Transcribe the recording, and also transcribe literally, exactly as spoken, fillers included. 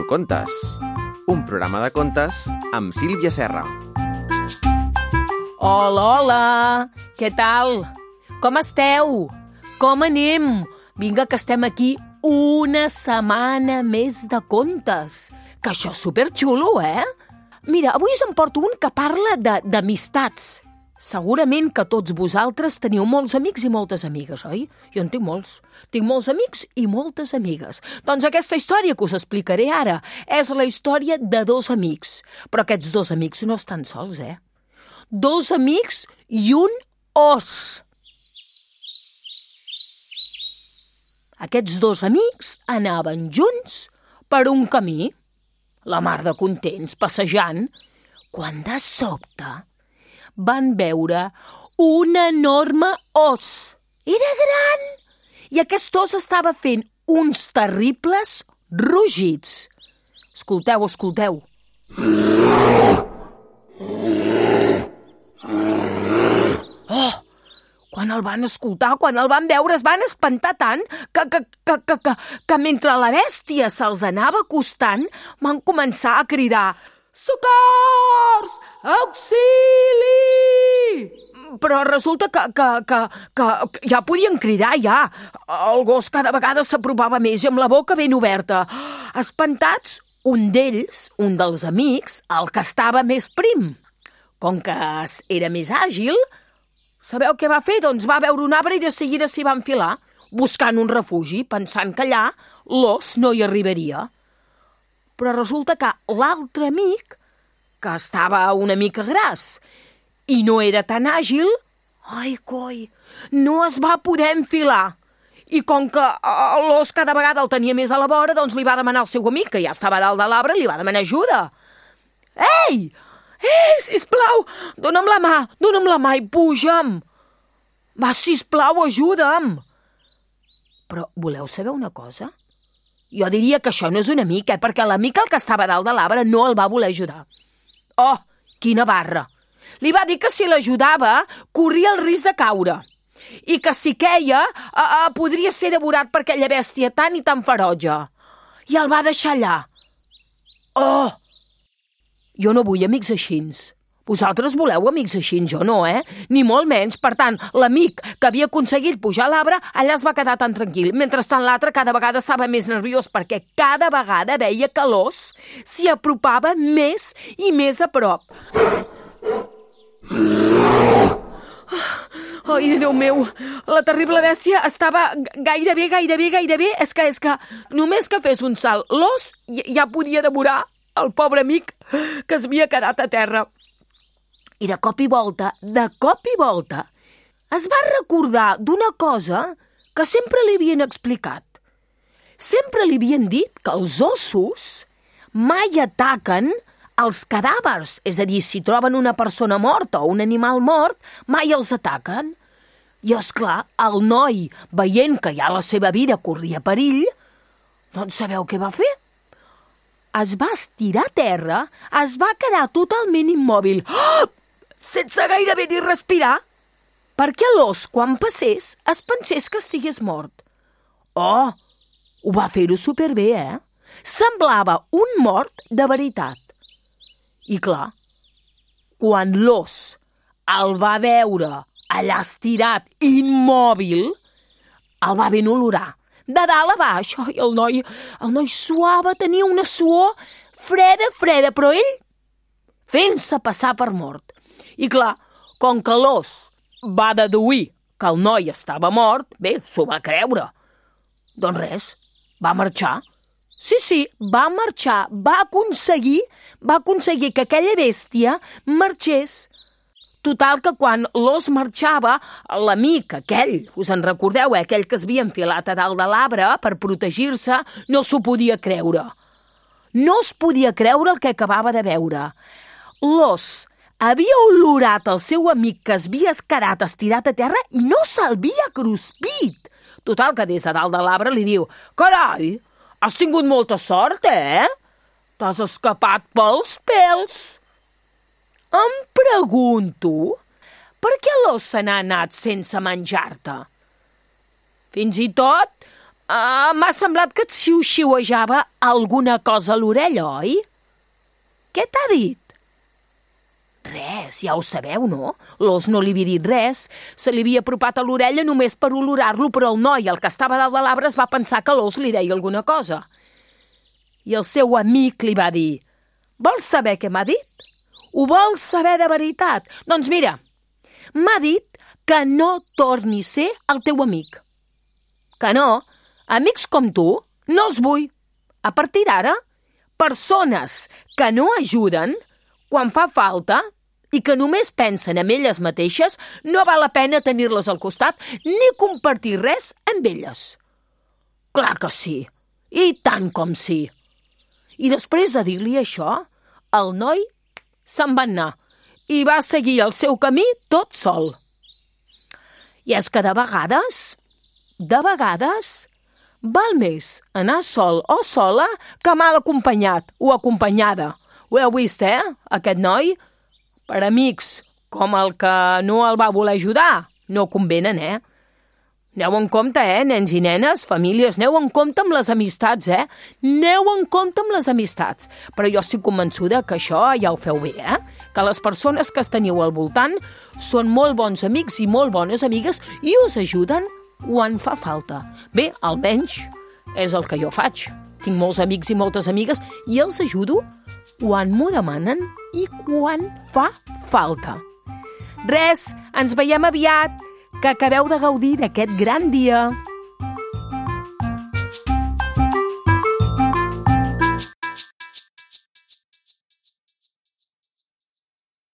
Contes, un programa de contes amb Sílvia Serra. Hola, hola! Què tal? Com esteu? Com anem? Vinga, que estem aquí una setmana més de contes. Que això és superxulo, eh? Mira, avui us en porto un que parla de- d'amistats. Segurament que tots vosaltres teniu molts amics i moltes amigues, oi? Jo en tinc molts. Tinc molts amics i moltes amigues. Doncs aquesta història que us explicaré ara és la història de dos amics. Però aquests dos amics no estan sols, eh? Dos amics i un os. Aquests dos amics anaven junts per un camí, la mar de contents, passejant, quan de sobte van veure un enorme os. Era gran i aquest os estava fent uns terribles rugits. Escolteu, escolteu. Oh! Quan el van escoltar, quan el van veure, es van espantar tant que, que, que, que, que, que mentre la bèstia se'ls anava acostant, van començar a cridar «Socors! Auxili!» Però resulta que, que, que, que ja podien cridar, ja. El gos cada vegada s'apropava més i amb la boca ben oberta. Espantats, un d'ells, un dels amics, el que estava més prim, com que era més àgil, sabeu què va fer? Doncs va veure un arbre i de seguida s'hi va enfilar, buscant un refugi, pensant que allà l'os no hi arribaria. Però resulta que l'altre amic, que estava una mica gras i no era tan àgil, ai, coi, no es va poder enfilar. I com que l'os cada vegada el tenia més a la vora, doncs li va demanar al seu amic, que ja estava dalt de l'arbre, li va demanar ajuda. Ei! Ei, sisplau, dona'm la mà, dona'm la mà i puja'm. Va, sisplau, ajuda'm. Però voleu saber una cosa? Jo diria que això no és un amic, eh? Perquè l'amic, el que estava dalt de l'arbre, no el va voler ajudar. Oh, quina barra! Li va dir que si l'ajudava, corria el risc de caure. I que si queia, eh, eh, podria ser devorat per aquella bèstia tan i tan ferotge. I el va deixar allà. Oh! Jo no vull amics així. Vosaltres voleu amics així, jo no, eh? Ni molt menys. Per tant, l'amic que havia aconseguit pujar a l'arbre, allà es va quedar tan tranquil. Mentrestant, l'altre cada vegada estava més nerviós perquè cada vegada veia que l'os s'hi apropava més i més a prop. Ai, Déu meu, la terrible bèstia estava gairebé, gairebé, gairebé... És que, és que només que fes un salt, l'os ja podia devorar el pobre amic que es havia quedat a terra. I de cop i volta, de cop i volta, es va recordar d'una cosa que sempre li havien explicat. Sempre li havien dit que els ossos mai ataquen els cadàvers. És a dir, si troben una persona morta o un animal mort, mai els ataquen. I, esclar, el noi, veient que ja la seva vida corria perill, doncs sabeu què va fer? Es va estirar a terra, es va quedar totalment immòbil, oh! Sense gairebé ni respirar, perquè l'os, quan passés, es pensés que estigués mort. Oh, ho va fer-ho superbé, eh? Semblava un mort de veritat. I clar, quan l'os el va veure allà estirat, immòbil, el va ben olorar. De dalt a baix, ai, el noi, el noi suava, tenia una suor freda, freda, però ell fent-se passar per mort. I clar, com que l'os va deduir que el noi estava mort, bé, s'ho va creure. Doncs res, va marxar. Sí, sí, va marxar, va aconseguir, va aconseguir que aquella bèstia marxés. Total que quan l'os marxava, l'amic aquell, us en recordeu, eh? Aquell que es havia enfilat a dalt de l'arbre per protegir-se, no s'ho podia creure. No es podia creure el que acabava de veure. L'os havia olorat el seu amic que es havia quedat estirat a terra i no s'havia cruspit. Total que des de dalt de l'arbre li diu «Carai, has tingut molta sort, eh? T'has escapat pels pèls». Em pregunto per què l'os se n'ha anat sense menjar-te. Fins i tot Uh, M'ha semblat que et xiu-xiuejava alguna cosa a l'orella, oi? Què t'ha dit? Res, ja ho sabeu, no? L'os no li havia dit res. Se li havia apropat a l'orella només per olorar-lo, però el noi, el que estava dalt de l'arbre, es va pensar que l'os li deia alguna cosa. I el seu amic li va dir: vols saber què m'ha dit? Ho vols saber de veritat? Doncs mira, m'ha dit que no torni a ser el teu amic. Que no? Amics com tu no els vull. A partir d'ara, persones que no ajuden quan fa falta i que només pensen en elles mateixes, no val la pena tenir-les al costat ni compartir res amb elles. Clar que sí, i tant com sí. I després de dir-li això, el noi se'n va anar i va seguir el seu camí tot sol. I és que de vegades, de vegades, val més anar sol o sola que mal acompanyat o acompanyada. Ho heu vist, eh, aquest noi? Per amics com el que no el va voler ajudar, no convenen, eh? Aneu en compte, eh, nens i nenes, famílies, aneu en compte amb les amistats, eh? Aneu en compte amb les amistats. Però jo estic convençuda que això ja ho feu bé, eh? Que les persones que teniu al voltant són molt bons amics i molt bones amigues i us ajuden quan fa falta. Bé, almenys és el que jo faig. Tinc molts amics i moltes amigues i els ajudo quan m'ho demanen i quan fa falta. Res, ens veiem aviat, que acabeu de gaudir d'aquest gran dia.